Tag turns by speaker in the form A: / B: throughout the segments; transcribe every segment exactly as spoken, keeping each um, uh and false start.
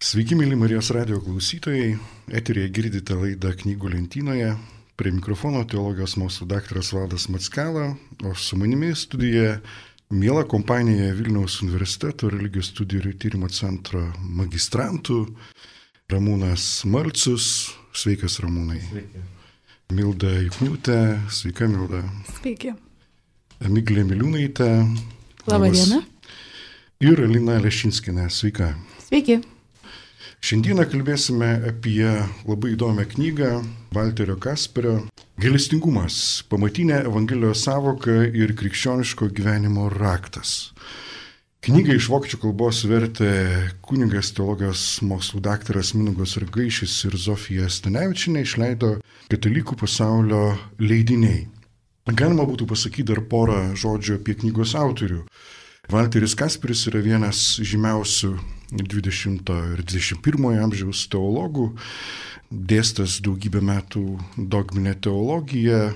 A: Sveiki, mėly Marijos radijo klausytojai. Eteryje girdite laidą Knygų lentynoje. Prie mikrofono teologijos mokslų daktaras Valdas Mackela, o su manimi studijoje miela kompanija Vilniaus universiteto religijos studijų ir tyrimo centro magistrantų Ramūnas Malcius. Sveikas, Ramūnai.
B: Sveiki.
A: Milda Jukniūtė. Sveika, Milda.
C: Sveiki.
A: Miglė Miliūnaitė.
C: Labą dieną.
A: Ir Alina Lešinskienė. Sveika.
C: Sveiki.
A: Šiandieną kalbėsime apie labai įdomią knygą Valterio Kasperio Gailestingumas – pamatinė Evangelijos sąvoka ir krikščioniško gyvenimo raktas. Knygą iš vokiečių kalbos vertė kunigas teologijos mokslų daktaras Mindaugas Ragaišis ir Zofija Stanevičienė, išleido Katalikų pasaulio leidiniai. Galima būtų pasakyti dar porą žodžių apie knygos autorių. Valteris Kasperis yra vienas žymiausių dvidešimto ir dvidešimt pirmojo amžiaus teologų, dėstęs daugybę metų dogminę teologiją,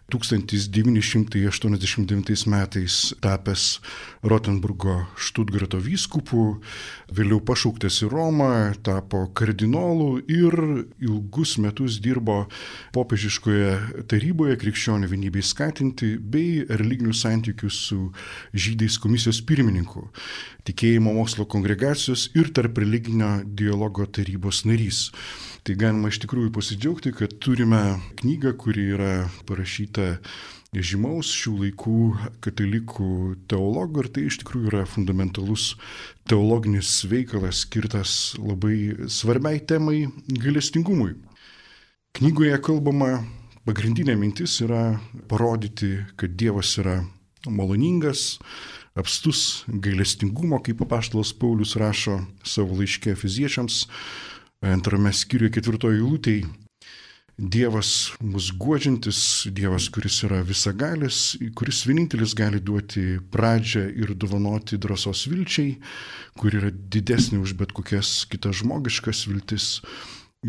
A: tūkstantis devyni šimtai aštuoniasdešimt devintais metais tapęs Rotenburgo Štutgarto vyskupu, vėliau pašauktas į Romą, tapo kardinolu ir ilgus metus dirbo popiežiškoje taryboje krikščionių vienybei skatinti bei religinių santykių su žydais komisijos pirmininku, tikėjimo mokslo kongregacijos ir tarp religinio dialogo tarybos narys. Tai galima iš tikrųjų pasidžiaugti, kad turime knygą, kuri yra parašyta žymaus šių laikų katalikų teologų, ir tai iš tikrųjų yra fundamentalus teologinis veikalas skirtas labai svarbiai temai gailestingumui. Knygoje kalbama, pagrindinė mintis yra parodyti, kad Dievas yra maloningas, apstus gailestingumo, kaip apaštalas Paulius rašo savo laiške Efeziečiams, antrame skyriuje ketvirtoje eilutėje. Dievas mus guodžiantis, Dievas, kuris yra visagalis, kuris vienintelis gali duoti pradžią ir dovanoti drąsos vilčiai, kur yra didesnė už bet kokias kitas žmogiškas viltis.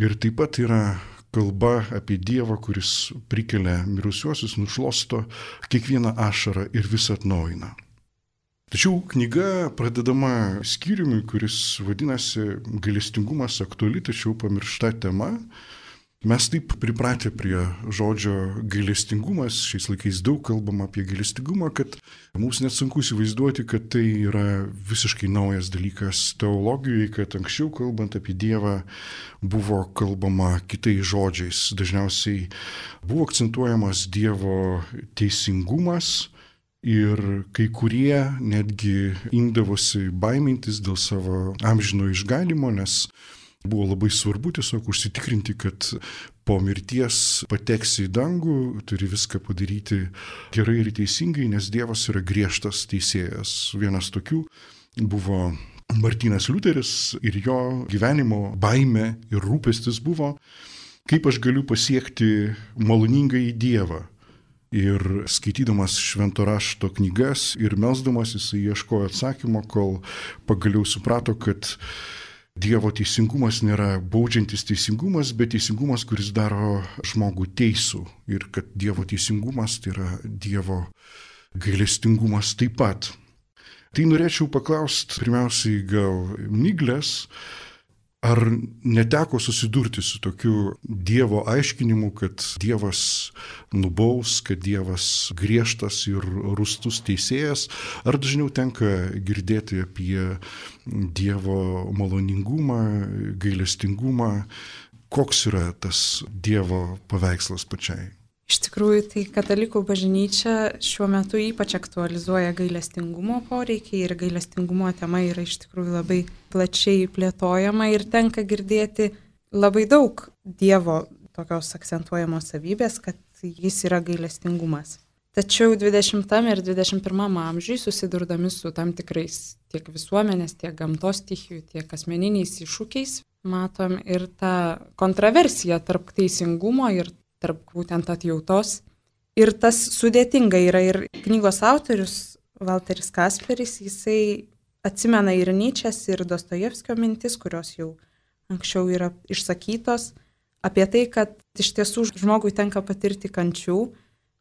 A: Ir taip pat yra kalba apie Dievą, kuris prikelia mirusiuosius, nušluosto kiekvieną ašarą ir visą atnaujina. Tačiau knyga pradedama skyriumi, kuris vadinasi Gailestingumas aktuali, tačiau pamiršta tema. Mes taip pripratę prie žodžio gailestingumas, šiais laikais daug kalbama apie gailestingumą, kad mums net sunku įsivaizduoti, kad tai yra visiškai naujas dalykas teologijoje, kad anksčiau kalbant apie Dievą buvo kalbama kitais žodžiais. Dažniausiai buvo akcentuojamas Dievo teisingumas, ir kai kurie netgi imdavosi baimintis dėl savo amžino išganimo, nes buvo labai svarbu tiesiog užsitikrinti, kad po mirties pateksi į dangų, turi viską padaryti gerai ir teisingai, nes Dievas yra griežtas teisėjas. Vienas tokių buvo Martynas Liuteris ir jo gyvenimo baimė ir rūpestis buvo, kaip aš galiu pasiekti maloningąjį Dievą. Ir skaitydamas švento rašto knygas ir melsdamas jisai ieškojo atsakymo, kol pagaliau suprato, kad Dievo teisingumas nėra baudžiantis teisingumas, bet teisingumas, kuris daro žmogų teisų. Ir kad Dievo teisingumas tai yra Dievo gailestingumas taip pat. Tai norėčiau paklausti pirmiausiai gal Miglės, ar neteko susidurti su tokiu Dievo aiškinimu, kad Dievas nubaus, kad Dievas griežtas ir rūstus teisėjas, ar dažniau tenka girdėti apie Dievo maloningumą, gailestingumą, koks yra tas Dievo paveikslas pačiai?
C: Iš tikrųjų, tai katalikų bažnyčia šiuo metu ypač aktualizuoja gailestingumo poreikį ir gailestingumo tema yra iš tikrųjų labai plačiai plėtojama ir tenka girdėti labai daug Dievo tokios akcentuojamos savybės, kad jis yra gailestingumas. Tačiau dvidešimtam ir dvidešimt pirmam amžiui susidurdami su tam tikrais tiek visuomenės, tiek gamtos stichijų, tiek asmeniniais iššūkiais, matom ir tą kontroversiją tarp teisingumo ir tarp būtent atjautos. Ir tas sudėtinga yra ir knygos autorius Valteris Kasperis, jisai atsimena ir Nyčės, ir Dostojevskio mintis, kurios jau anksčiau yra išsakytos, apie tai, kad iš tiesų žmogui tenka patirti kančių,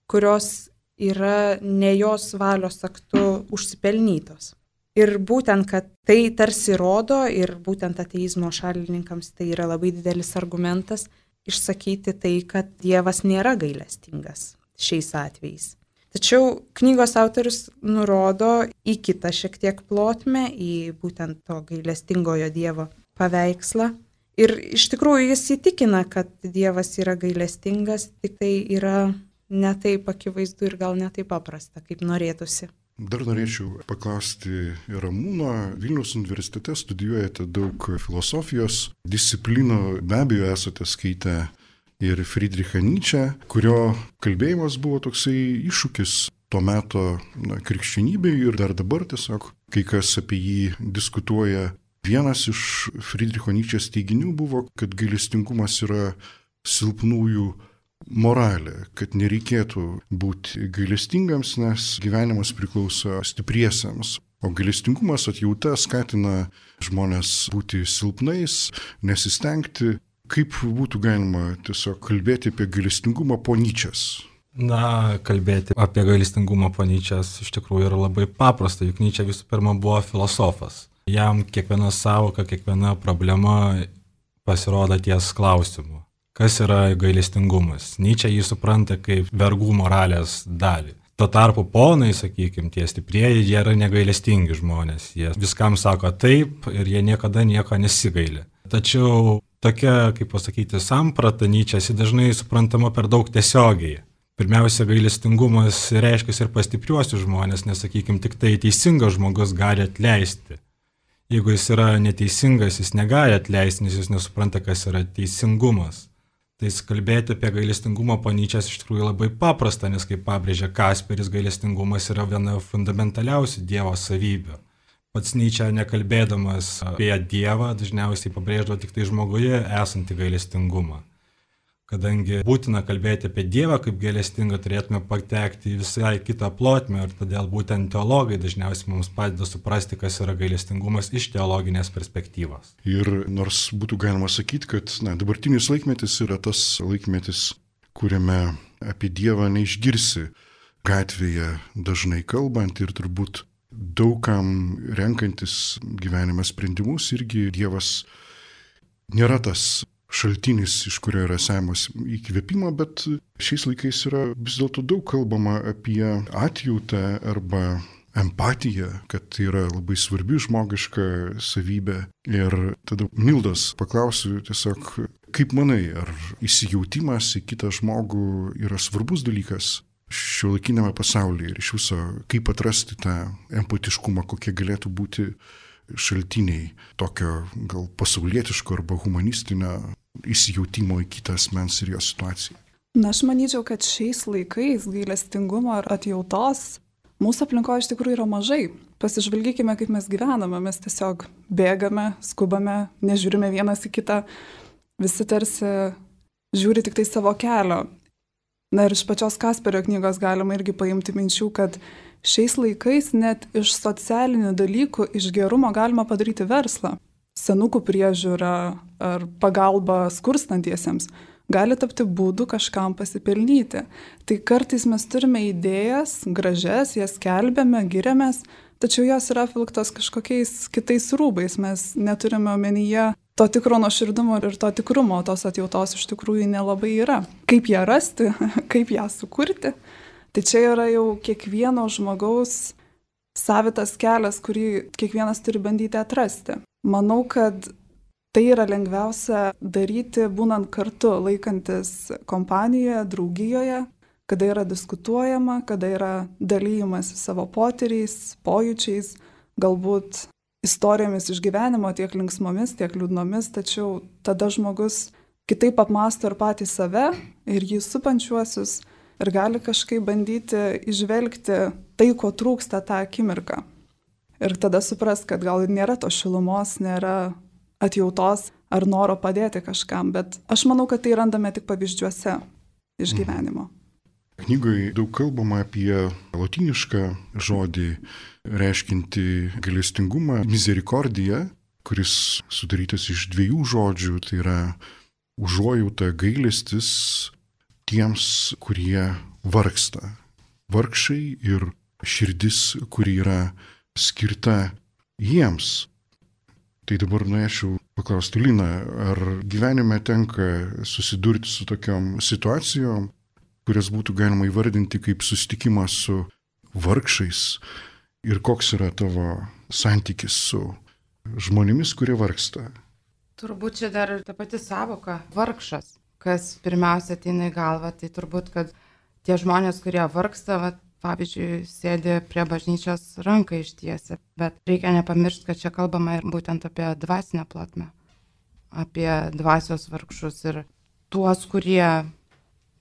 C: kurios yra ne jos valios aktu užsipelnytos. Ir būtent, kad tai tarsi rodo, ir būtent ateizmo šalininkams tai yra labai didelis argumentas, išsakyti tai, kad Dievas nėra gailestingas šiais atvejais. Tačiau knygos autorius nurodo į kitą šiek tiek plotmę, į būtent to gailestingojo Dievo paveikslą. Ir iš tikrųjų jis įtikina, kad Dievas yra gailestingas, tik tai yra ne taip akivaizdu ir gal ne taip paprasta, kaip norėtųsi.
A: Dar norėčiau paklausti Ramūno. Vilniaus universitete studijuojate daug filosofijos disciplinų, be abejo esate skaitę ir Friedrichą Nyčę, kurio kalbėjimas buvo toksai iššūkis to meto na, krikščionybei ir dar dabar tiesiog kai kas apie jį diskutuoja. Vienas iš Friedricho Nyčės teiginių buvo, kad gailestingumas yra silpnųjų moralė, kad nereikėtų būti gailestingams, nes gyvenimas priklauso stipriesiems. O gailestingumas atjauta skatina žmonės būti silpnais, nesistengti. Kaip būtų galima tiesiog kalbėti apie gailestingumą po Nyčės?
B: Na, kalbėti apie gailestingumą po Nyčės iš tikrųjų yra labai paprasta, juk Nyčė visų pirma buvo filosofas. Jam kiekviena sąvoka, kiekviena problema pasirodo ties klausimu. Kas yra gailestingumas? Nyčė jį supranta kaip vergų moralės dalį. Tuo tarpu ponai, sakykime, tie stiprieji, jie yra negailestingi žmonės. Jie viskam sako taip ir jie niekada nieko nesigaili. Tačiau tokia, kaip pasakyti, samprata Nyčės dažnai suprantama per daug tiesiogiai. Pirmiausia, gailestingumas reiškia ir pas stipriuosius žmonės, nes, sakykime, tik tai teisingas žmogus gali atleisti. Jeigu jis yra neteisingas, jis negali atleisti, nes jis nesupranta, kas yra teisingumas. Tai kalbėti apie gailestingumą po Nyčės iš tikrųjų labai paprasta, nes kaip pabrėžia Kasperis, gailestingumas yra viena fundamentaliausių Dievo savybių. Pats Nyčė, nekalbėdamas apie Dievą, dažniausiai pabrėždavo tik tai žmoguje esantį gailestingumą. Kadangi būtina kalbėti apie Dievą kaip gailestingą, turėtume patekti į visai kitą plotmę ir todėl būtent teologai dažniausiai mums padeda suprasti, kas yra gailestingumas iš teologinės perspektyvos.
A: Ir nors būtų galima sakyti, kad na, dabartinis laikmetis yra tas laikmetis, kuriame apie Dievą neišgirsi gatvėje dažnai kalbant ir turbūt daugam renkantis gyvenime sprendimus irgi Dievas nėra tas šaltinis, iš kurio yra semiamas įkvėpimo, bet šiais laikais yra vis dėlto daug kalbama apie atjautą arba empatiją, kad tai yra labai svarbi žmogiška savybė. Ir tada Mildos paklausiu tiesiog, kaip manai, ar įsijautimas į kitą žmogų yra svarbus dalykas šiuolaikinėme pasaulyje ir iš viso, kaip atrasti tą empatiškumą, kokie galėtų būti šaltiniai tokio gal pasaulietiško arba humanistinio įsijautimo į kitą asmens ir jo situaciją.
D: Na, aš manyčiau, kad šiais laikais gailestingumo ar atjautos mūsų aplinkoje iš tikrųjų yra mažai. Pasižvalgykime, kaip mes gyvename, mes tiesiog bėgame, skubame, nežiūrime vienas į kitą, visi tarsi žiūri tik tai savo kelio. Na ir iš pačios Kasperio knygos galima irgi paimti minčių, kad šiais laikais net iš socialinių dalykų, iš gerumo galima padaryti verslą. Senukų priežiūra ar pagalba skurstantiesiems gali tapti būdu kažkam pasipelnyti. Tai kartais mes turime idėjas, gražias, jas skelbėme, giriamės, tačiau jos yra apvilktos kažkokiais kitais rūbais. Mes neturime omenyje to tikro nuoširdumo ir to tikrumo, tos atjautos iš tikrųjų nelabai yra. Kaip ją rasti, kaip ją sukurti? Tai čia yra jau kiekvieno žmogaus savitas kelias, kurį kiekvienas turi bandyti atrasti. Manau, kad tai yra lengviausia daryti būnant kartu, laikantis kompanijoje, draugijoje, kada yra diskutuojama, kada yra dalyjimas savo potyriais, pojūčiais, galbūt istorijomis iš gyvenimo, tiek linksmomis, tiek liūdnomis, tačiau tada žmogus kitaip apmąsto ir patį save, ir jį supančiuosius, ir gali kažkaip bandyti išvelgti tai, ko trūksta tą akimirką. Ir tada supras, kad gal nėra to šilumos, nėra atjautos ar noro padėti kažkam, bet aš manau, kad tai randame tik pavyzdžiuose iš gyvenimo.
A: Knygoje daug kalbama apie lotynišką žodį reiškinti gailestingumą, misericordia, kuris sudarytas iš dviejų žodžių, tai yra užuojauta, gailestis tiems, kurie vargsta. Vargšai ir širdis, kuri yra skirta jiems. Tai dabar norėčiau paklausti Lina, ar gyvenime tenka susidurti su tokiom situacijom, kurias būtų galima įvardinti kaip susitikimą su vargšais ir koks yra tavo santykis su žmonėmis, kurie vargsta?
E: Turbūt čia dar ta pati savoka vargšas, kas pirmiausia ateina į galvą, tai turbūt, kad tie žmonės, kurie vargsta, va, pavyzdžiui, sėdi prie bažnyčios ranką ištiesia, bet reikia nepamiršti, kad čia kalbama ir būtent apie dvasinę plotmę, apie dvasios vargšus ir tuos, kurie,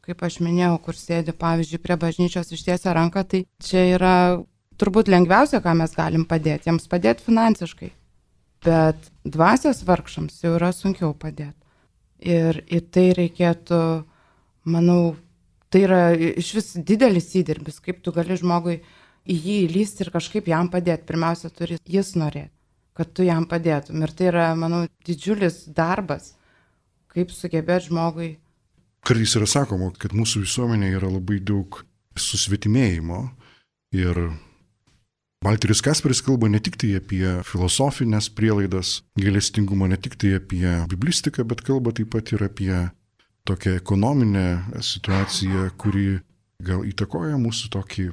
E: kaip aš minėjau, kur sėdi, pavyzdžiui, prie bažnyčios ištiesia ranką, tai čia yra turbūt lengviausia, ką mes galim padėti, jiems padėti finansiškai, bet dvasios vargšams jau yra sunkiau padėti. Ir į tai reikėtų, manau, tai yra iš vis didelis įdirbis, kaip tu gali žmogui į jį įlysti ir kažkaip jam padėti. Pirmiausia, turi jis norėti, kad tu jam padėtum. Ir tai yra, manau, didžiulis darbas, kaip sugebėti žmogui.
A: Kartais yra sakoma, kad mūsų visuomenėje yra labai daug susvetimėjimo ir Valteris Kasperis kalba ne tik tai apie filosofinės prielaidas gailestingumo, ne tik tai apie biblistiką, bet kalba taip pat ir apie tokią ekonominę situaciją, kuri gal įtakoja mūsų tokį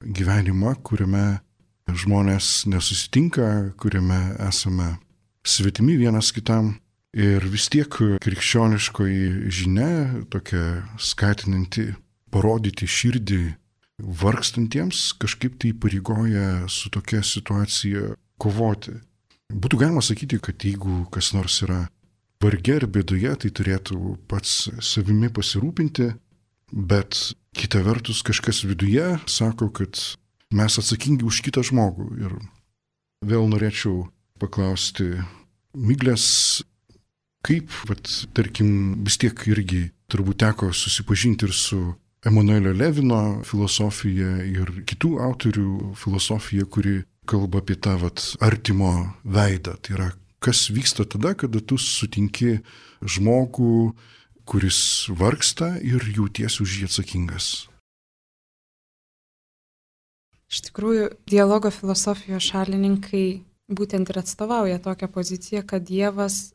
A: gyvenimą, kuriame žmonės nesusitinka, kuriame esame svetimi vienas kitam. Ir vis tiek krikščioniškoji žinia, tokia skatinanti parodyti širdį vargstantiems, kažkaip tai pareigoja su tokia situacija kovoti. Būtų galima sakyti, kad jeigu kas nors yra varge ir bėdoje, tai turėtų pats savimi pasirūpinti, bet kita vertus kažkas viduje sako, kad mes atsakingi už kitą žmogų. Ir vėl norėčiau paklausti Miglės, kaip, vat, tarkim, vis tiek irgi turbūt teko susipažinti ir su Emanuelio Levino filosofija ir kitų autorių filosofija, kuri kalba apie tą vat, artimo veidą. Tai yra, kas vyksta tada, kada tu sutinki žmogų, kuris vargsta ir jauties už jį atsakingas.
C: Iš tikrųjų, dialogo filosofijos šalininkai būtent ir atstovauja tokią poziciją, kad Dievas,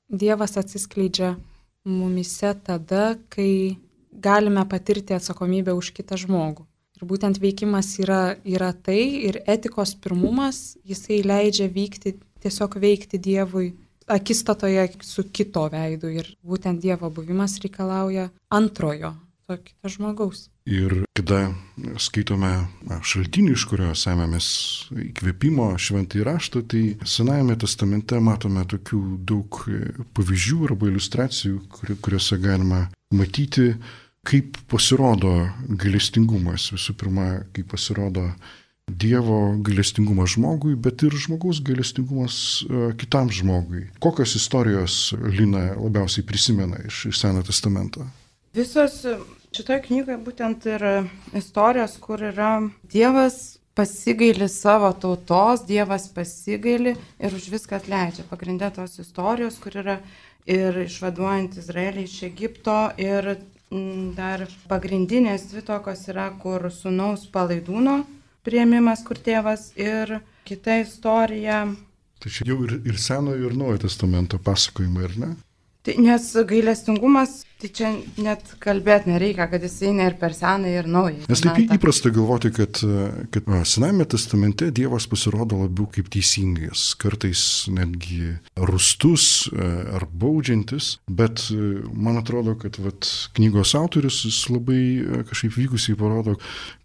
C: Dievas atsiskleidžia mumise tada, kai galime patirti atsakomybę už kitą žmogų. Ir būtent veikimas yra, yra tai ir etikos pirmumas, jisai leidžia vykti, tiesiog veikti Dievui akistatoje su kito veidu. Ir būtent Dievo buvimas reikalauja antrojo, to kito žmogaus.
A: Ir kada skaitome šaltinį, iš kurio semėmės įkvėpimo šventąjį raštą, tai Senajame testamente matome tokių daug pavyzdžių arba iliustracijų, kuriuose galima matyti, kaip pasirodo gailestingumas. Visų pirma, kaip pasirodo Dievo gailestingumas žmogui, bet ir žmogaus gailestingumas kitam žmogui. Kokios istorijos Lina labiausiai prisimena iš, iš Senojo testamento?
E: Visos šitoje knygoje būtent ir istorijos, kur yra Dievas pasigaili savo tautos, Dievas pasigaili ir už viską atleidžia. Pagrindė tos istorijos, kur yra ir išvaduojant Izraelį iš Egipto ir dar pagrindinės dvi tokios yra, kur sūnaus palaidūno priėmimas, kur tėvas, ir kita istorija.
A: Tai čia jau ir, ir Senojo ir Naujojo testamento pasakojimai, ar ne?
E: Tai, nes gailestingumas, tai čia net kalbėti nereikia, kad jis eina ir per Senąjį ir Naująjį.
A: Nes taip įprasta galvoti, kad, kad Senajame testamente Dievas pasirodo labiau kaip teisingas, kartais netgi rūstus ar baudžiantis, bet man atrodo, kad vat, knygos autorius jis labai kažkaip vykusiai parodo,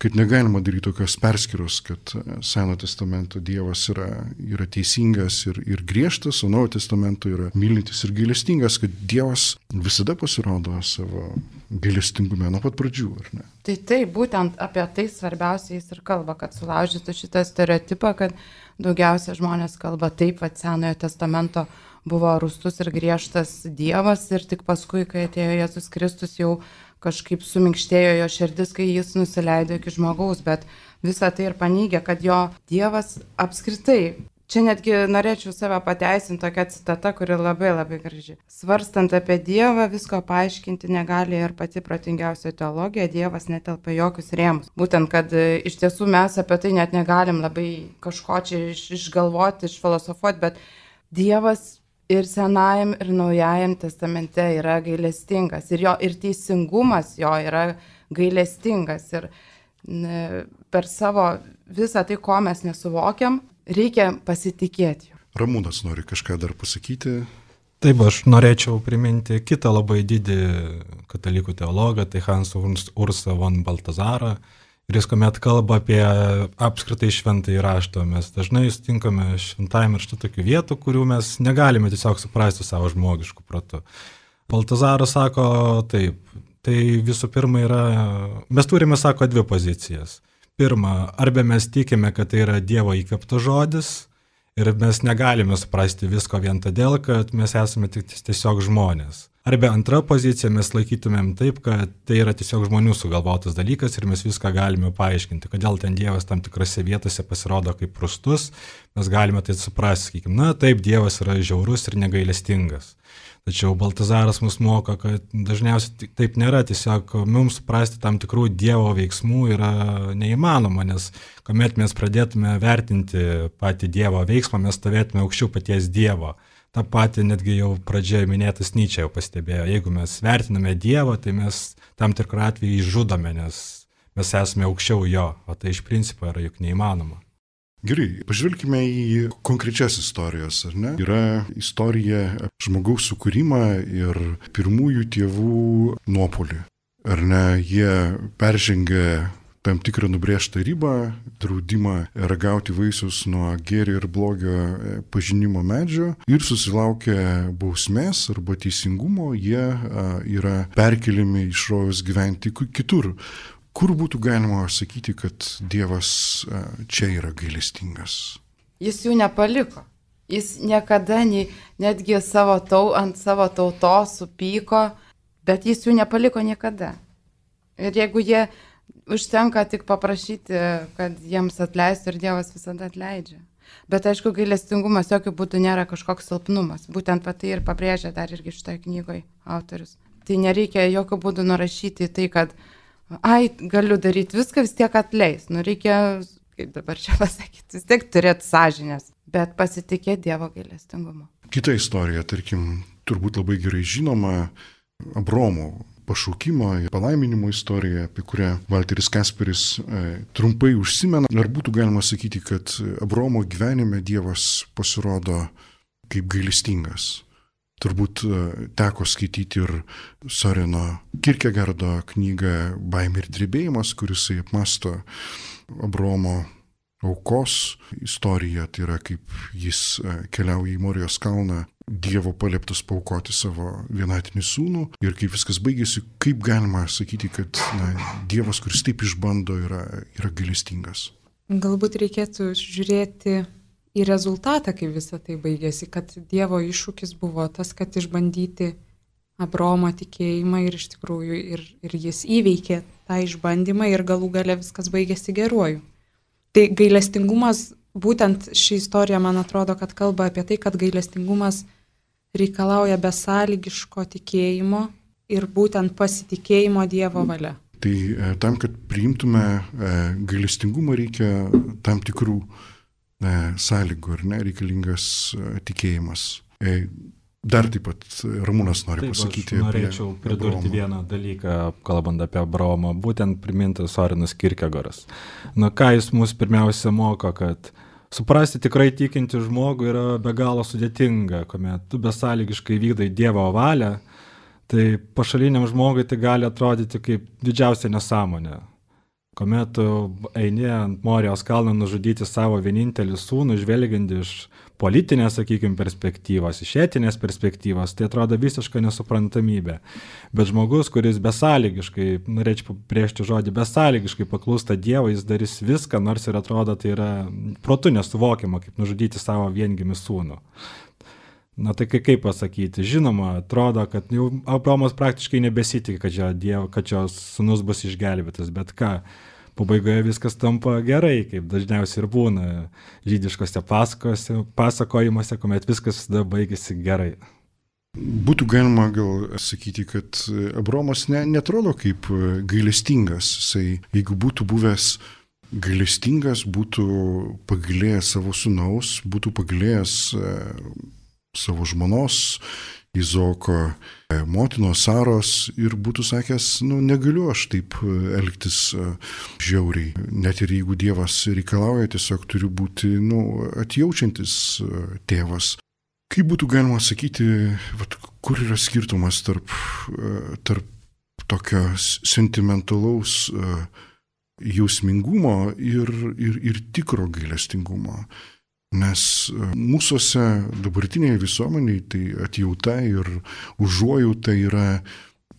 A: kad negalima daryti tokios perskyros, kad Senojo testamento Dievas yra, yra teisingas ir, ir griežtas, o Naujojo testamento yra mylintis ir gailestingas, kad Dievas visada pasirodo savo gailestingume nuo pat pradžių, ar ne?
E: Tai taip, būtent apie tai svarbiausia jis ir kalba, kad sulaužytų šitą stereotipą, kad daugiausia žmonės kalba taip, kad Senojo testamento buvo rūstus ir griežtas Dievas ir tik paskui, kai atėjo Jėzus Kristus, jau kažkaip suminkštėjo jo širdis, kai jis nusileido iki žmogaus, bet visą tai ir paneigia, kad jo Dievas apskritai Čia netgi norėčiau save pateisinti tokią citatą, kuri labai labai graži. Svarstant apie Dievą, visko paaiškinti negali ir pati protingiausia teologija, Dievas netelpa jokius rėmus. Būtent, kad iš tiesų mes apie tai net negalim labai kažko čia iš, išgalvoti, išfilosofuoti, bet Dievas ir Senajam, ir Naujajam testamente yra gailestingas. Ir jo ir teisingumas jo yra gailestingas. Ir ne, per savo visą tai, ko mes nesuvokiam, reikia pasitikėti.
A: Ramūnas nori kažką dar pasakyti.
B: Taip, aš norėčiau priminti kitą labai didį katalikų teologą, tai Hans Ursa von Baltazarą. Ir jis kuomet kalba apie apskritai šventąjį raštą, mes dažnai sutinkame šventajame rašte tokių vietų, kurių mes negalime tiesiog suprasti savo žmogiškų protų. Baltazaras sako taip, tai visų pirma yra, mes turime, sako, dvi pozicijas. Pirma, arba mes tikime, kad tai yra Dievo įkvėptas žodis ir mes negalime suprasti visko vien todėl, kad mes esame tik tiesiog žmonės. Arba antra pozicija, mes laikytumėm taip, kad tai yra tiesiog žmonių sugalvotas dalykas ir mes viską galime paaiškinti. Kodėl ten Dievas tam tikrose vietose pasirodo kaip prustus, mes galime tai suprasti, sakykime, na taip, Dievas yra žiaurus ir negailestingas. Tačiau Baltazaras mus moko, kad dažniausiai taip nėra, tiesiog mums suprasti tam tikrų Dievo veiksmų yra neįmanoma, nes kuomet mes pradėtume vertinti patį Dievo veiksmą, mes stovėtume aukščiau paties Dievo. Ta pati netgi jau pradžioje minėtas Nyčė jau pastebėjo, jeigu mes vertiname Dievą, tai mes tam tikrą atvejį žudome, nes mes esame aukščiau jo, o tai iš principo yra juk neįmanoma.
A: Gerai, pažvelkime į konkrečias istorijas, ar ne? Yra istorija žmogaus sukūrimą ir pirmųjų tėvų nuopolį. Ar ne, jie peržengė tam tikrą nubrėžtą ribą, draudimą ragauti vaisius nuo gėrio ir blogio pažinimo medžio ir susilaukė bausmės arba teisingumo, jie yra perkeliami iš rojaus gyventi kitur. Kur būtų galima sakyti, kad Dievas čia yra gailestingas?
E: Jis jų nepaliko. Jis niekada nei, netgi savo tau, ant savo tautos supyko, bet jis jų nepaliko niekada. Ir jeigu jie užtenka tik paprašyti, kad jiems atleistų, ir Dievas visada atleidžia. Bet aišku, gailestingumas jokių būdų nėra kažkoks silpnumas. Būtent tai ir pabrėžia dar irgi šitoje knygoje autorius. Tai nereikia jokių būdų nurašyti į tai, kad ai, galiu daryti viską, vis tiek atleis. Nu, reikia, kaip dabar čia pasakyti, vis tiek turėti sąžinės, bet pasitikėti Dievo gailestingumu.
A: Kita istorija, tarkim, turbūt labai gerai žinoma, Abraomo pašaukimo ir palaiminimo istorija, apie kurią Valteris Kasperis e, trumpai užsimena. Ar būtų galima sakyti, kad Abraomo gyvenime Dievas pasirodo kaip gailestingas? Turbūt teko skaityti ir Soreno Kierkegaardo knygą Baimė ir drebėjimas, kuris apmąsto Abraomo aukos istoriją, tai yra kaip jis keliauja į Morijos kalną, Dievo palieptas paaukoti savo vienatinį sūnų ir kaip viskas baigėsi, kaip galima sakyti, kad na, Dievas, kuris taip išbando, yra, yra gailestingas.
C: Galbūt reikėtų žiūrėti į rezultatą, kaip visą tai baigėsi, kad Dievo iššūkis buvo tas, kad išbandyti Abraomo tikėjimą ir iš tikrųjų ir, ir jis įveikė tą išbandymą ir galų gale viskas baigėsi geruoju. Tai gailestingumas, būtent ši istorija, man atrodo, kad kalba apie tai, kad gailestingumas reikalauja besąlygiško tikėjimo ir būtent pasitikėjimo Dievo valia.
A: Tai tam, kad priimtume gailestingumą, reikia tam tikrų sąlygų, ar ne, reikalingas tikėjimas. Dar taip pat Ramūnas nori taip, pasakyti apie Abraomą. Norėčiau pridurti Abraomą. Vieną
B: dalyką, kalbant apie Abraomą, būtent primintas Sorenas Kierkegaras. Na ką jis mus pirmiausia moko, kad suprasti tikrai tikinti žmogų yra be galo sudėtinga, kuomet tu besąlygiškai vykdai Dievo valią, tai pašaliniam žmogui tai gali atrodyti kaip didžiausia nesąmonė. Kuomet tu eini ant Morijos kalno nužudyti savo vienintelį sūnų, žvelgiant iš politinės, sakykime, perspektyvos, iš etinės perspektyvos, tai atrodo visiška nesuprantamybė. Bet žmogus, kuris besąlygiškai, norėčiau priešti žodį, besąlygiškai paklūsta Dievui, jis darys viską, nors ir atrodo, tai yra protu nesuvokiama, kaip nužudyti savo viengimį sūnų. Na tai kaip pasakyti, žinoma, atrodo, kad jau Abraomas praktiškai nebesitikė, kad jo, Dievo, kad jo sūnus bus išgelbėtas, bet ką, pabaigoje viskas tampa gerai, kaip dažniausiai ir būna žydiškose pasakojimuose, kuomet viskas visada baigėsi gerai.
A: Būtų galima gal sakyti, kad Abraomas ne, netrodo kaip gailestingas. Jisai, jeigu būtų buvęs gailestingas, būtų pagailėjęs savo sūnaus, būtų pagailėjęs savo žmonos, Izaoko motinos Saros ir būtų sakęs, nu negaliu aš taip elgtis žiauriai. Net ir jeigu Dievas reikalauja, tiesiog turiu būti nu, atjaučiantis tėvas. Kaip būtų galima sakyti, vat, kur yra skirtumas tarp, tarp tokio sentimentalaus jausmingumo ir, ir, ir tikro gailestingumo? Nes mūsųse dabartinėje visuomenėje tai atjauta ir užuojauta yra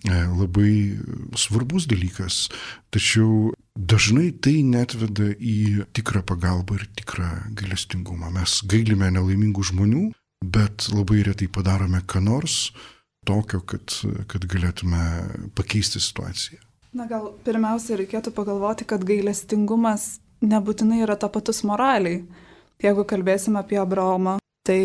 A: labai svarbus dalykas, tačiau dažnai tai netveda į tikrą pagalbą ir tikrą gailestingumą. Mes gailime nelaimingų žmonių, bet labai retai padarome ką nors tokio, kad, kad galėtume pakeisti situaciją.
D: Na gal pirmiausia reikėtų pagalvoti, kad gailestingumas nebūtinai yra tapatus moraliai. Jeigu kalbėsime apie Abraomą, tai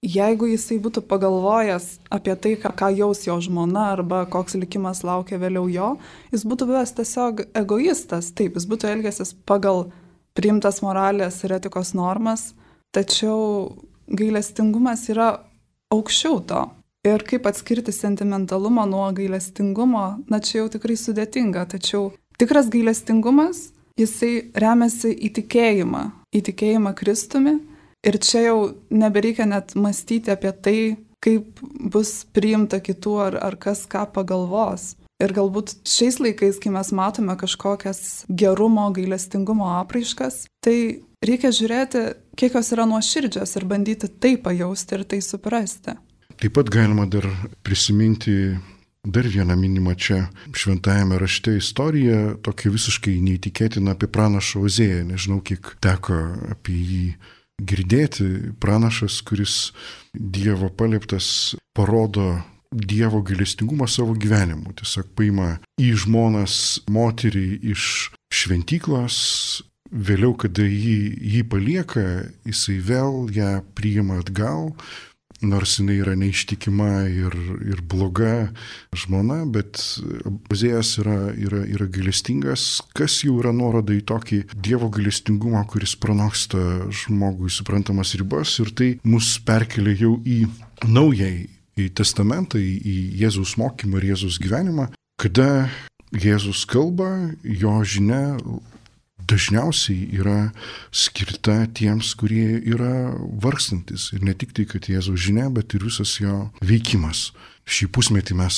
D: jeigu jisai būtų pagalvojęs apie tai, ką jaus jo žmona arba koks likimas laukia vėliau jo, jis būtų buvęs tiesiog egoistas. Taip, jis būtų elgęsis pagal priimtas moralės ir etikos normas, tačiau gailestingumas yra aukščiau to. Ir kaip atskirti sentimentalumą nuo gailestingumo, na čia jau tikrai sudėtinga, tačiau tikras gailestingumas, jisai remiasi į tikėjimą, į tikėjimą Kristumi ir čia jau nebereikia net mąstyti apie tai, kaip bus priimta kitų ar, ar kas ką pagalvos. Ir galbūt šiais laikais, kai mes matome kažkokias gerumo, gailestingumo apraiškas, tai reikia žiūrėti, kiek jos yra nuoširdžios ir bandyti tai pajausti ir tai suprasti.
A: Taip pat galima dar prisiminti dar vieną minimą čia šventajame rašte istoriją, tokia visiškai neįtikėtina apie pranašą Ozėją. Nežinau, kiek teko apie jį girdėti. Pranašas, kuris Dievo palieptas, parodo Dievo gailestingumą savo gyvenimu. Tiesiog paima į žmonas moterį iš šventyklos, vėliau, kada jį, jį palieka, jisai vėl ją priima atgal, nors jinai yra neištikima ir, ir bloga žmona, bet Ozėjas yra, yra, yra gailestingas, kas jau yra nuoroda į tokį Dievo gailestingumą, kuris pranoksta žmogui suprantamas ribas, ir tai mus perkelia jau į naująjį į testamentą, į Jėzaus mokymą ir Jėzaus gyvenimą, kada Jėzus kalba, jo žinia dažniausiai yra skirta tiems, kurie yra vargstantis. Ir ne tik tai, kad Jėzaus žinia, bet ir visas jo veikimas. Šį pusmetį mes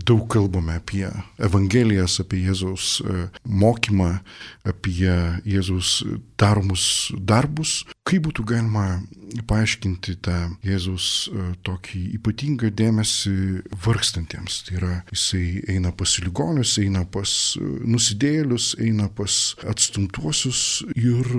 A: daug kalbame apie Evangelijas, apie Jėzaus mokymą, apie Jėzaus daromus darbus. Kaip būtų galima paaiškinti tą Jėzaus tokį ypatingą dėmesį vargstantiems? Tai yra, jisai eina pas ligonius, eina pas nusidėjėlius, eina pas atstumtuosius ir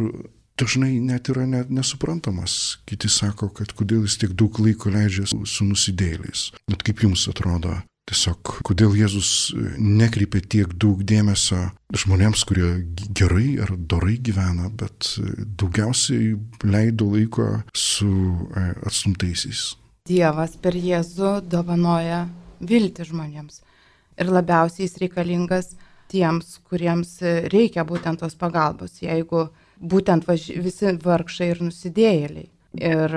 A: dažnai net yra net nesuprantamas. Kiti sako, kad kodėl jis tiek daug laiko leidžia su nusidėjėliais. Bet kaip jums atrodo, tiesiog kodėl Jėzus nekreipia tiek daug dėmesio žmonėms, kurie gerai ar dorai gyvena, bet daugiausiai leido laiko su atstumtaisiais?
E: Dievas per Jėzų dovanoja viltį žmonėms. Ir labiausiai jis reikalingas tiems, kuriems reikia būtent tos pagalbos, jeigu būtent važ... visi vargšai ir nusidėjėliai. Ir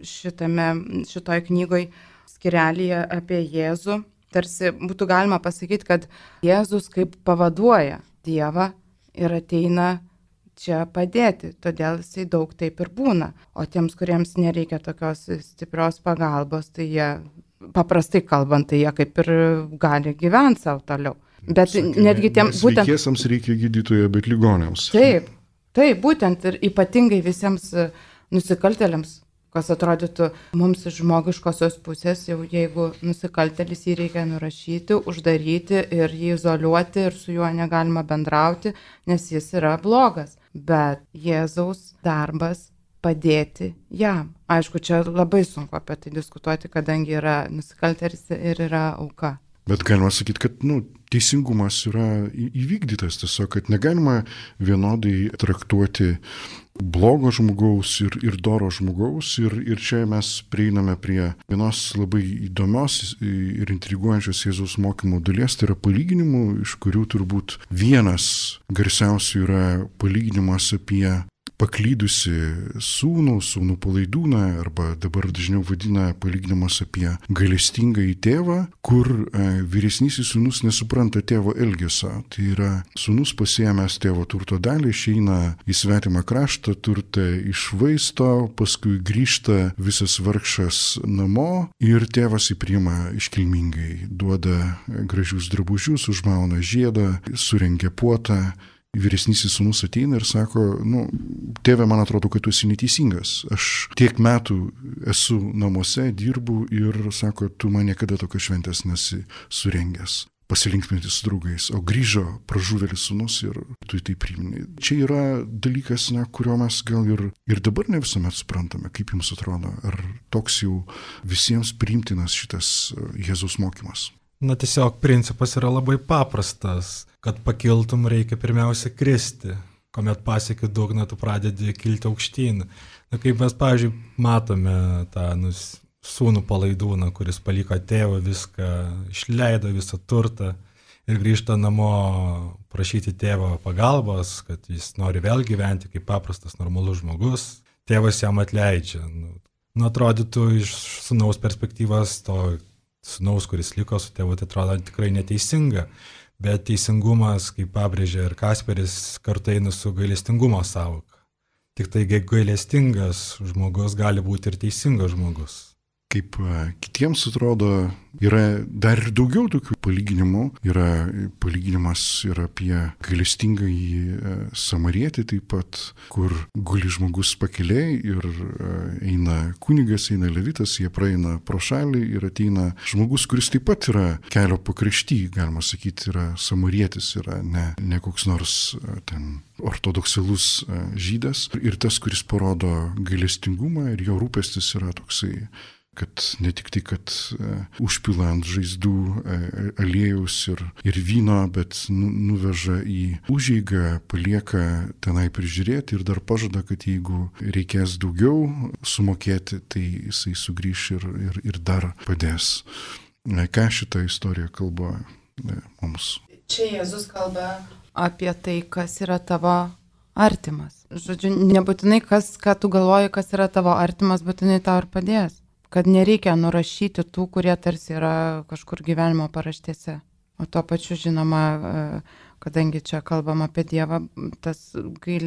E: šitame, šitoj knygoj skirelyje apie Jėzų, tarsi būtų galima pasakyti, kad Jėzus kaip pavaduoja Dievą ir ateina čia padėti, todėl jisai daug taip ir būna. O tiems, kuriems nereikia tokios stiprios pagalbos, tai jie, paprastai kalbant, tai jie kaip ir gali gyventi savo toliau. Bet
A: Sakė,
E: netgi tiem būtent...
A: Sveikiesiems reikia gydytojo, bet ligoniams.
E: Taip. Taip, būtent ir ypatingai visiems nusikaltėliams, kas atrodytų mums iš žmogiškosios pusės, jau jeigu nusikaltėlis jį reikia nurašyti, uždaryti ir jį izoliuoti ir su juo negalima bendrauti, nes jis yra blogas. Bet Jėzaus darbas padėti jam. Aišku, čia labai sunku apie tai diskutuoti, kadangi yra nusikaltėlis ir yra auka.
A: Bet galima sakyti, kad nu, teisingumas yra įvykdytas, tiesiog, kad negalima vienodai traktuoti blogo žmogaus ir, ir doro žmogaus. Ir, ir čia mes prieiname prie vienos labai įdomios ir intriguojančios Jėzaus mokymo dalies, tai yra palyginimų, iš kurių turbūt vienas garsiausių yra palyginimas apie paklydusi sūnų, sūnų palaidūną, arba dabar dažniau vadina palyginimas apie gailestingąjį tėvą, kur e, vyresnysis sūnus nesupranta tėvo elgesio. Tai yra sūnus pasiėmęs tėvo turto dalį, išeina į svetimą kraštą, turtą išvaisto, paskui grįžta visas vargšas namo ir tėvas jį priima iškilmingai, duoda gražius drabužius, užmauna žiedą, surengia puotą. Vyresnysis sūnus ateina ir sako, nu, tėve, man atrodo, kad tu esi neteisingas. Aš tiek metų esu namuose, dirbu ir sako, tu man niekada tokios šventės nesi surengęs. Pasilinksminti su draugais, o grįžo pražuvėlis sūnus ir tu tai priimni. Čia yra dalykas, na, kurio mes gal ir, ir dabar ne visuomet suprantame, kaip jums atrodo, ar toks jau visiems priimtinas šitas Jėzaus mokymas.
B: Na tiesiog principas yra labai paprastas, kad pakiltum reikia pirmiausia kristi, kuomet pasieki dugną, tu pradedi kilti aukštyn. Na kaip mes, pavyzdžiui, matome tą nus, sūnų palaidūną, kuris paliko tėvą viską, išleido visą turtą ir grįžta namo prašyti tėvo pagalbos, kad jis nori vėl gyventi kaip paprastas normalus žmogus. Tėvas jam atleidžia. Nu, nu atrodytų iš sūnaus perspektyvos to sūnaus, kuris liko su tėvu, tai atrodo tikrai neteisinga, bet teisingumas, kaip pabrėžė ir Kasperis, kartu eina su gailestingumo sąvoka. Tik tai gailestingas žmogus gali būti ir teisingas žmogus.
A: Kaip kitiems atrodo, yra dar ir daugiau tokių palyginimų. Yra palyginimas ir apie gailestingąjį samarietį taip pat, kur guli žmogus pakelėj ir eina kunigas, eina levitas, jie praeina pro šalį ir ateina žmogus, kuris taip pat yra kelio pakrašty, galima sakyti, yra samarietis, yra ne, ne koks nors ten ortodoksalus žydas. Ir tas, kuris parodo gailestingumą ir jo rūpestis yra toksai, kad ne tik tai, kad uh, užpila ant žaizdų uh, aliejus ir, ir vyno, bet nu, nuveža į užeigą, palieka tenai prižiūrėti ir dar pažada, kad jeigu reikės daugiau sumokėti, tai jisai sugrįš ir, ir, ir dar padės. Uh, ką šitą istoriją kalba uh, mums?
E: Čia Jėzus kalba apie tai, kas yra tavo artimas. Žodžiu, nebūtinai kas, ką tu galvoji, kas yra tavo artimas, būtinai tau ir padės. Kad nereikia nurašyti tų, kurie tarsi yra kažkur gyvenimo paraštėse. O tuo pačiu, žinoma, kadangi čia kalbam apie Dievą, tas gail...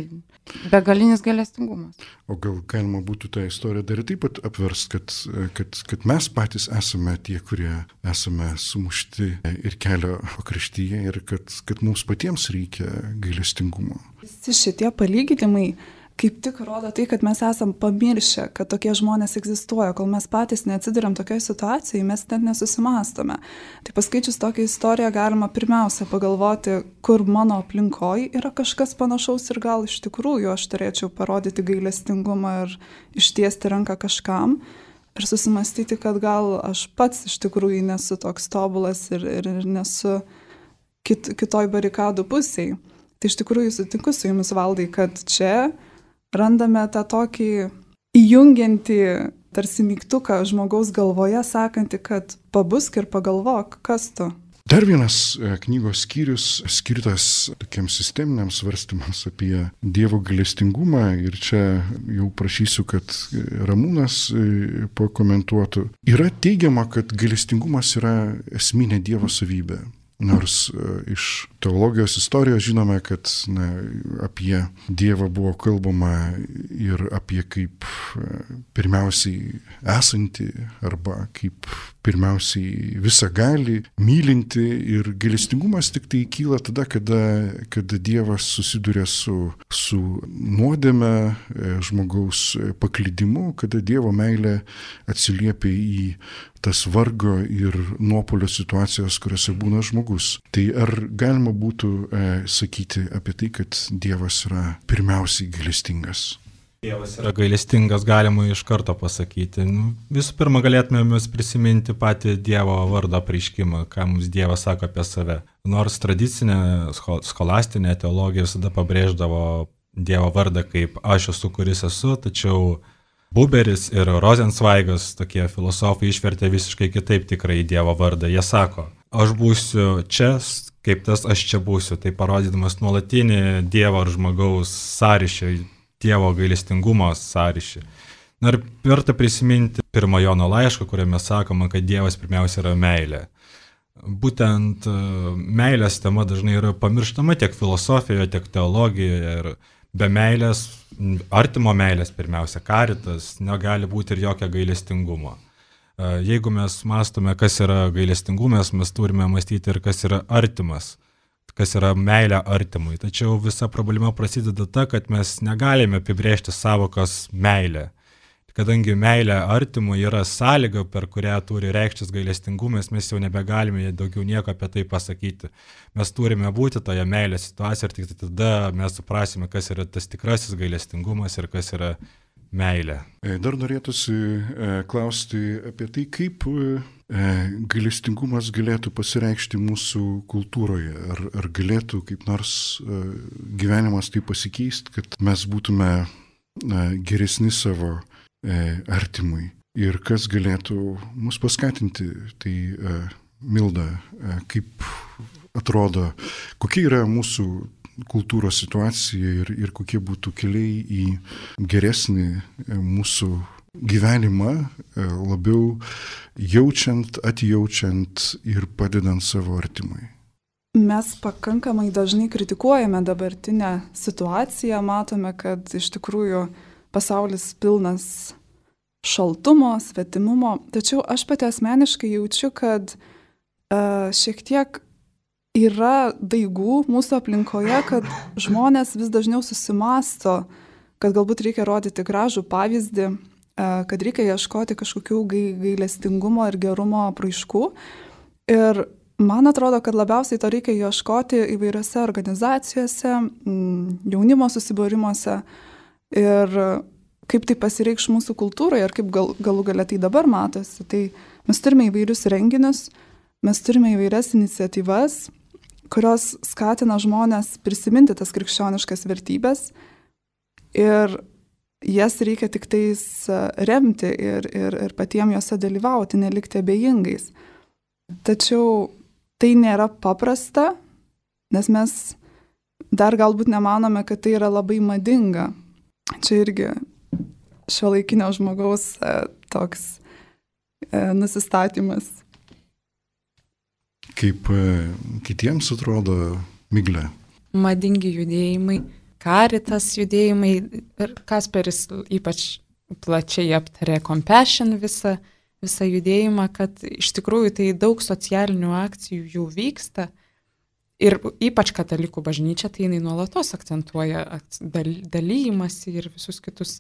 E: begalinis gailestingumas.
A: O gal galima būtų tą istoriją dar taip pat apverst, kad, kad, kad mes patys esame tie, kurie esame sumušti ir kelio pakraštyje ir kad, kad mums patiems reikia gailestingumo.
D: Visi šitie palyginimai kaip tik rodo tai, kad mes esam pamiršę, kad tokie žmonės egzistuoja. Kol mes patys neatsiduriam tokioje situacijoje, mes net nesusimastome. Tai paskaičius tokią istoriją galima pirmiausia pagalvoti, kur mano aplinkoje yra kažkas panašaus ir gal iš tikrųjų aš turėčiau parodyti gailestingumą ir ištiesti ranką kažkam ir susimastyti, kad gal aš pats iš tikrųjų nesu toks tobulas ir, ir, ir nesu kit, kitoj barikadų pusėje. Tai iš tikrųjų sutinku su jumis, Valdai, kad čia randame tą tokį įjungiantį tarsi mygtuką žmogaus galvoje, sakantį, kad pabusk ir pagalvok, kas tu.
A: Dar vienas knygos skyrius skirtas tokiems sisteminiams svarstymams apie Dievo gailestingumą ir čia jau prašysiu, kad Ramūnas pakomentuotų. Yra teigiama, kad gailestingumas yra esminė Dievo savybė. Nors iš teologijos istorijos žinome, kad na, apie Dievą buvo kalbama ir apie kaip pirmiausiai esantį arba kaip pirmiausiai visagalį, mylinti ir gailestingumas tik tai kyla tada, kada, kada Dievas susiduria su, su nuodėme, žmogaus paklydimu, kada Dievo meilė atsiliepia į tas vargo ir nuopuolio situacijas, kuriuose būna žmogus. Tai ar galima būtų e, sakyti apie tai, kad Dievas yra pirmiausiai gailestingas?
B: Dievas yra gailestingas, galima iš karto pasakyti. Nu, visų pirma, galėtume mes prisiminti patį Dievo vardo apreiškimą, ką mums Dievas sako apie save. Nors tradicinė scholastinė teologija visada pabrėždavo Dievo vardą kaip aš esu, kuris esu, tačiau Buberis ir Rosenzveigas, tokie filosofai, išvertė visiškai kitaip tikrai Dievo vardą. Jie sako, aš būsiu čia, kaip tas aš čia būsiu, tai parodydamas nuolatinį Dievo ar žmogaus sąryšį, Dievo gailestingumo sąryšį. Na ir verta prisiminti pirmą Jono laišką, kuriame sakoma, kad Dievas pirmiausia yra meilė. Būtent meilės tema dažnai yra pamirštama tiek filosofijoje, tiek teologijoje ir be meilės, artimo meilės pirmiausia, karitas, negali būti ir jokio gailestingumo. Jeigu mes mąstome, kas yra gailestingumas, mes turime mąstyti ir kas yra artimas, kas yra meilė artimui. Tačiau visa problema prasideda ta, kad mes negalime apibrėžti savokos meilė. Kadangi meilė artimui yra sąlyga, per kurią turi reikštis gailestingumas, mes jau nebegalime daugiau nieko apie tai pasakyti. Mes turime būti toje meilės situacijoje ir tik tada mes suprasime, kas yra tas tikrasis gailestingumas ir kas yra meilė.
A: Dar norėtųsi klausti apie tai, kaip gailestingumas galėtų pasireikšti mūsų kultūroje. Ar, ar galėtų kaip nors gyvenimas tai pasikeisti, kad mes būtume geresni savo artimui. Ir kas galėtų mus paskatinti, tai Milda, kaip atrodo, kokia yra mūsų kultūros situacija ir, ir kokie būtų keliai į geresnį mūsų gyvenimą, labiau jaučiant, atjaučiant ir padedant savo artimui.
D: Mes pakankamai dažnai kritikuojame dabartinę situaciją, matome, kad iš tikrųjų pasaulis pilnas šaltumo, svetimumo, tačiau aš pati asmeniškai jaučiu, kad uh, šiek tiek yra daigų mūsų aplinkoje, kad žmonės vis dažniau susimasto, kad galbūt reikia rodyti gražų pavyzdį, uh, kad reikia ieškoti kažkokių gailestingumo ir gerumo apraiškų. Ir man atrodo, kad labiausiai to reikia ieškoti įvairiose organizacijose, jaunimo susibūrimuose. Ir kaip tai pasireikš mūsų kultūroje ir kaip gal, galų galia tai dabar matosi. Tai mes turime įvairius renginius, mes turime įvairias iniciatyvas, kurios skatina žmonės prisiminti tas krikščioniškas vertybės ir jas reikia tik tais remti ir, ir, ir patiems juose dalyvauti, nelikti abejingais. Tačiau tai nėra paprasta, nes mes dar galbūt nemanome, kad tai yra labai madinga. Čia irgi šiuolaikinio žmogaus e, toks e, nusistatymas.
A: Kaip e, kitiems atrodo, Miglė?
C: Madingi judėjimai, karitas judėjimai ir Kasperis ypač plačiai aptarė Compassion visą, visą judėjimą, kad iš tikrųjų tai daug socialinių akcijų jau vyksta. Ir ypač katalikų bažnyčia, tai jinai nuolatos akcentuoja dalymasi ir visus kitus,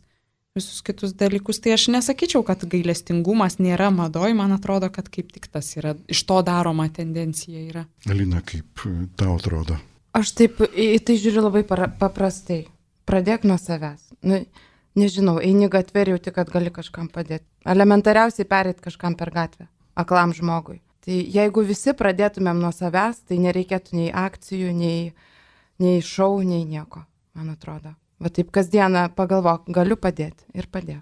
C: visus kitus dalykus. Tai aš nesakyčiau, kad gailestingumas nėra madoj, man atrodo, kad kaip tik tas yra, iš to daroma tendencija yra.
A: Alina, kaip tau atrodo?
E: Aš taip į tai žiūriu labai para, paprastai. Pradėk nuo savęs. Nu, nežinau, eini gatvę ir jauti, kad gali kažkam padėti. Elementariausiai pereit kažkam per gatvę, aklam žmogui. Tai jeigu visi pradėtumėm nuo savęs, tai nereikėtų nei akcijų, nei, nei šou, nei nieko, man atrodo. Va taip kasdieną pagalvok, galiu padėti ir padėk.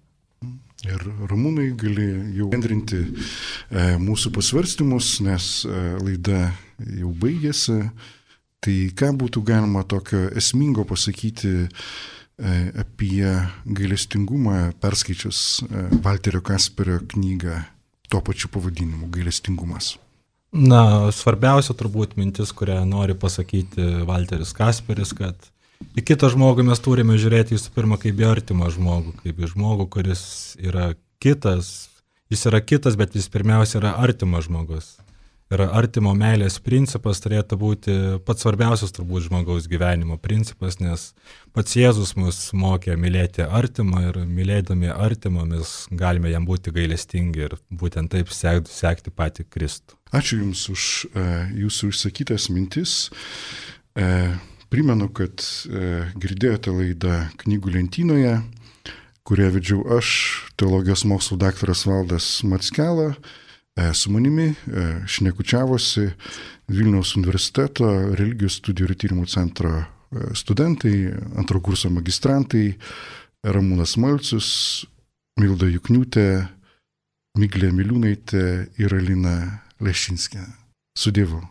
A: Ir Ramūnai gali jau bendrinti e, mūsų pasvarstymus, nes e, laida jau baigėsi. Tai ką būtų galima tokio esmingo pasakyti e, apie gailestingumą, perskaičius e, Valterio Kasperio knygą tuo pačiu pavadinimu gailestingumas?
B: Na, svarbiausia turbūt mintis, kurią nori pasakyti Valteris Kasperis, kad į kitą žmogų mes turime žiūrėti visų pirma kaip į artimą žmogų, kaip į žmogų, kuris yra kitas. Jis yra kitas, bet jis pirmiausia yra artimas žmogus. Ir artimo meilės principas turėtų būti pats svarbiausias turbūt žmogaus gyvenimo principas, nes pats Jėzus mus mokė mylėti artimą ir mylėdami artimą mes galime jam būti gailestingi ir būtent taip sekti, sekti patį Kristų.
A: Ačiū Jums už uh, Jūsų išsakytas mintis. Uh, primenu, kad uh, girdėjote laidą Knygų lentynoje. kurią vedžiau aš, teologijos mokslų daktaras Valdas Mackela. Su manimi šnekučiavosi Vilniaus universiteto religijos studijų ir tyrimų centro studentai, antro kurso magistrantai, Ramūnas Malcius, Milda Jukniūtė, Miglė Miliūnaitė ir Alina Lešinskė. Su Dievu.